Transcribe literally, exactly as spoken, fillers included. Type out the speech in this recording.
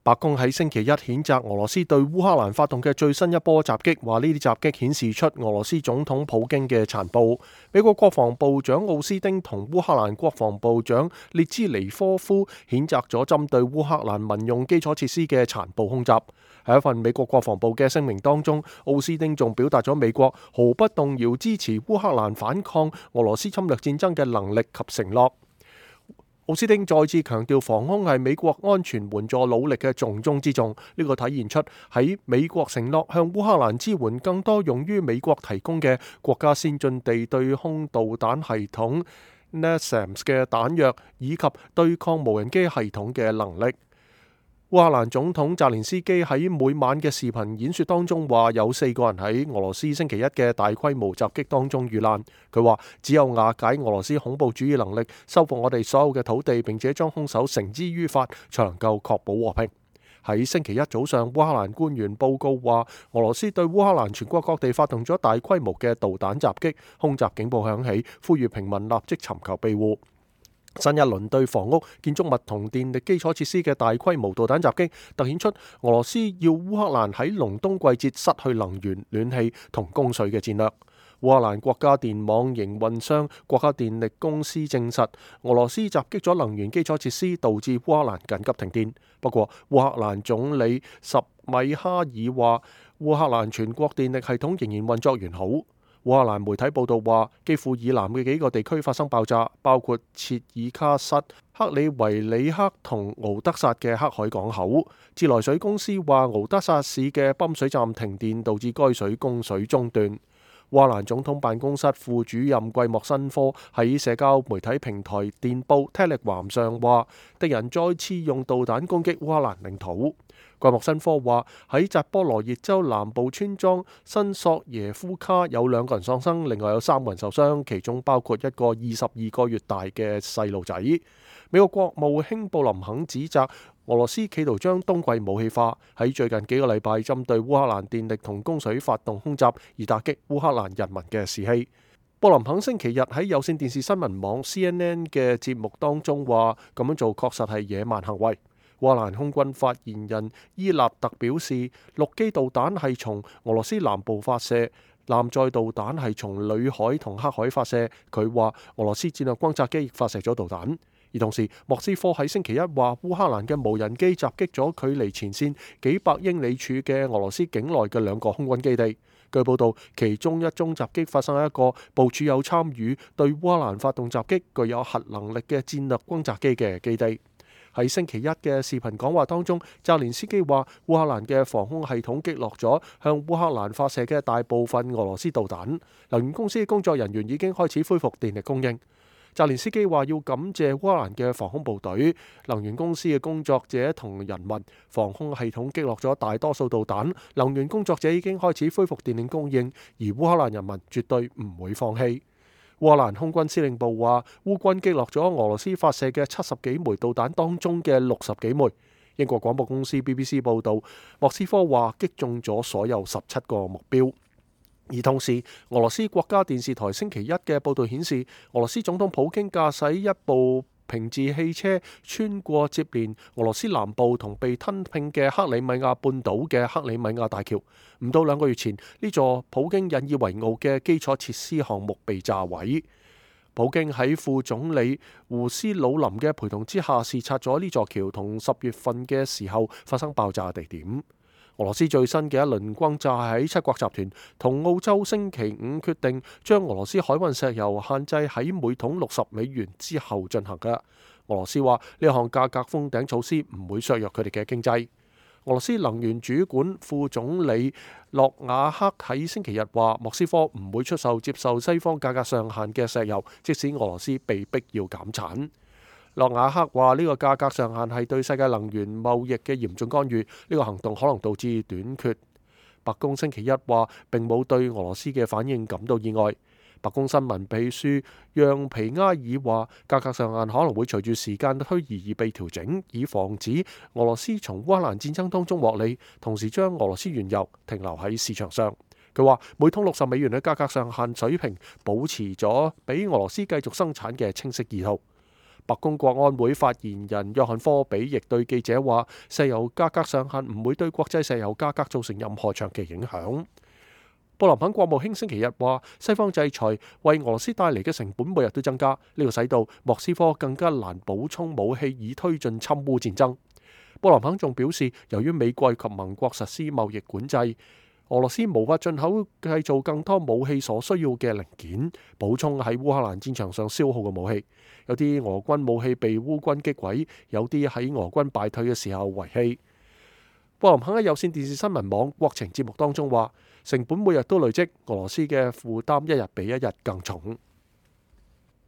白宮喺星期一譴責俄羅斯對烏克蘭發動嘅最新一波襲擊，話呢啲襲擊顯示出俄羅斯總統普京嘅殘暴。美國國防部長奧斯汀同烏克蘭國防部長列茲尼科夫譴責咗針對烏克蘭民用基礎設施嘅殘暴空襲。喺一份美國國防部嘅聲明當中，奧斯汀仲表達咗美國毫不動搖支持烏克蘭反抗俄羅斯侵略戰爭嘅能力及承諾。奧斯汀再次強調，防空係美國安全援助努力嘅重中之重。呢個體現出喺美國承諾向烏克蘭支援更多用於美國提供嘅國家先進地對空導彈系統 NASAMS 嘅彈藥，以及對抗無人機系統嘅能力。烏克蘭總統澤連斯基喺每晚嘅視頻演說當中話，有四個人喺俄羅斯星期一嘅大規模襲擊當中遇難。佢話只有瓦解俄羅斯恐怖主義能力，收復我哋所有嘅土地，並且將兇手繩之於法，才能夠確保和平。喺星期一早上，烏克蘭官員報告話，俄羅斯對烏克蘭全國各地發動咗大規模嘅導彈襲擊，空襲警報響起，呼籲平民立即尋求庇護。新一輪對房屋、建築物同電力基礎設施嘅大規模導彈襲擊，凸顯出俄羅斯要烏克蘭喺隆冬季節失去能源、暖氣同供水嘅戰略。烏克蘭國家電網營運商國家電力公司證實，俄羅斯襲擊咗能源基礎設施，導致烏克蘭緊急停電。不過，烏克蘭總理什米哈爾話，烏克蘭全國電力系統仍然運作完好。烏克蘭媒體報道話，基輔以南嘅幾個地區發生爆炸，包括切爾卡什、克里維里克同敖德薩嘅黑海港口。自來水公司話，敖德薩市嘅泵水站停電，導致該水供水中斷。烏克蘭總統辦公室副主任季莫申科喺社交媒體平台電報 Telegram 上話，敵人再次用導彈攻擊烏克蘭領土。季莫申科話，喺扎波羅熱州南部村莊新索耶夫卡有兩個人喪生，另外有三個人受傷，其中包括一個二十二個月大嘅細路仔。美國國務卿布林肯指責俄羅斯企圖將冬季武器化，喺最近幾個禮拜針對烏克蘭電力同供水發動空襲，而打擊烏克蘭人民嘅士氣。布林肯星期日喺有線電視新聞網 C N N 嘅節目當中話，咁樣做確實係野蠻行為。烏克蘭空軍發言人伊納特表示，陸基導彈係從俄羅斯南部發射，艦載導彈係從裏海同黑海發射。佢話俄羅斯戰略轟炸機亦發射咗導彈。而同時，莫斯科喺星期一話，烏克蘭嘅無人機襲擊咗距離前線幾百英里處嘅俄羅斯境內嘅兩個空軍基地。據報道，其中一宗襲擊發生喺一個部署有參與對烏克蘭發動襲擊、具有核能力嘅戰略轟炸機嘅基地。喺星期一嘅視頻講話當中，澤連斯基話烏克蘭嘅防空系統擊落咗向烏克蘭發射嘅大部分俄羅斯導彈。能源公司嘅工作人員已經開始恢復電力供應。澤連斯基話要感謝烏克蘭嘅防空部隊、能源公司嘅工作者同人民。防空系統擊落咗大多數導彈，能源工作者已經開始恢復電力供應，而烏克蘭人民絕對唔會放棄。烏克蘭空軍司令部話，烏軍擊落咗俄羅斯發射嘅七十幾枚導彈當中嘅六十幾枚。英國廣播公司 B B C 報道，莫斯科話擊中咗所有十七個目標。而同時，俄羅斯國家電視台星期一嘅報道顯示，俄羅斯總統普京駕駛一部平治汽車穿過接連俄羅斯南部同被吞併嘅克里米亞半島嘅克里米亞大橋。唔到兩個月前，呢座普京引以為傲嘅基礎設施項目被炸毀。普京喺副總理胡斯魯林嘅陪同之下視察咗呢座橋同十月份嘅時候發生爆炸嘅地點。俄羅斯最新嘅一輪轟炸係喺七國集團同澳洲星期五決定將俄羅斯海運石油限制喺每桶六十美元之後進行嘅。俄羅斯話呢項價格封頂措施唔會削弱佢哋嘅經濟。俄羅斯能源主管副總理諾瓦克喺星期日話，莫斯科唔會出售接受西方價格上限嘅石油，即使俄羅斯被逼要減產。諾瓦克話呢個價格上限係對世界能源貿易嘅嚴重干預，呢個行動可能導致短缺。白宮星期一話並冇對俄羅斯嘅反應感到意外。白宮新聞秘書讓皮埃爾話，價格上限可能會隨住時間推移而被調整，以防止俄羅斯從烏克蘭戰爭當中獲利，同時將俄羅斯原油停留喺市場上。佢話每桶六十美元嘅價格上限水平保持咗俾俄羅斯繼續生產嘅清晰意圖。白宮國安會發言人約翰科比亦對記者話，石油價格上限唔會對國際石油價格造成任何長期影響。布林肯國務卿星期日話，西方制裁為俄羅斯帶嚟嘅成本每日都增加，呢個使到莫斯科更加難補充武器以推進侵烏戰爭。布林肯仲表示，由於美國及盟國實施貿易管制，俄羅斯無法進口製造更多武器所需要嘅零件，補充喺烏克蘭戰場上消耗嘅武器。有啲俄軍武器被烏軍擊毀，有啲喺俄軍敗退嘅時候遺棄。布林肯喺有線電視新聞網國情節目當中話，成本每日都累積，俄羅斯嘅負擔一日比一日更重。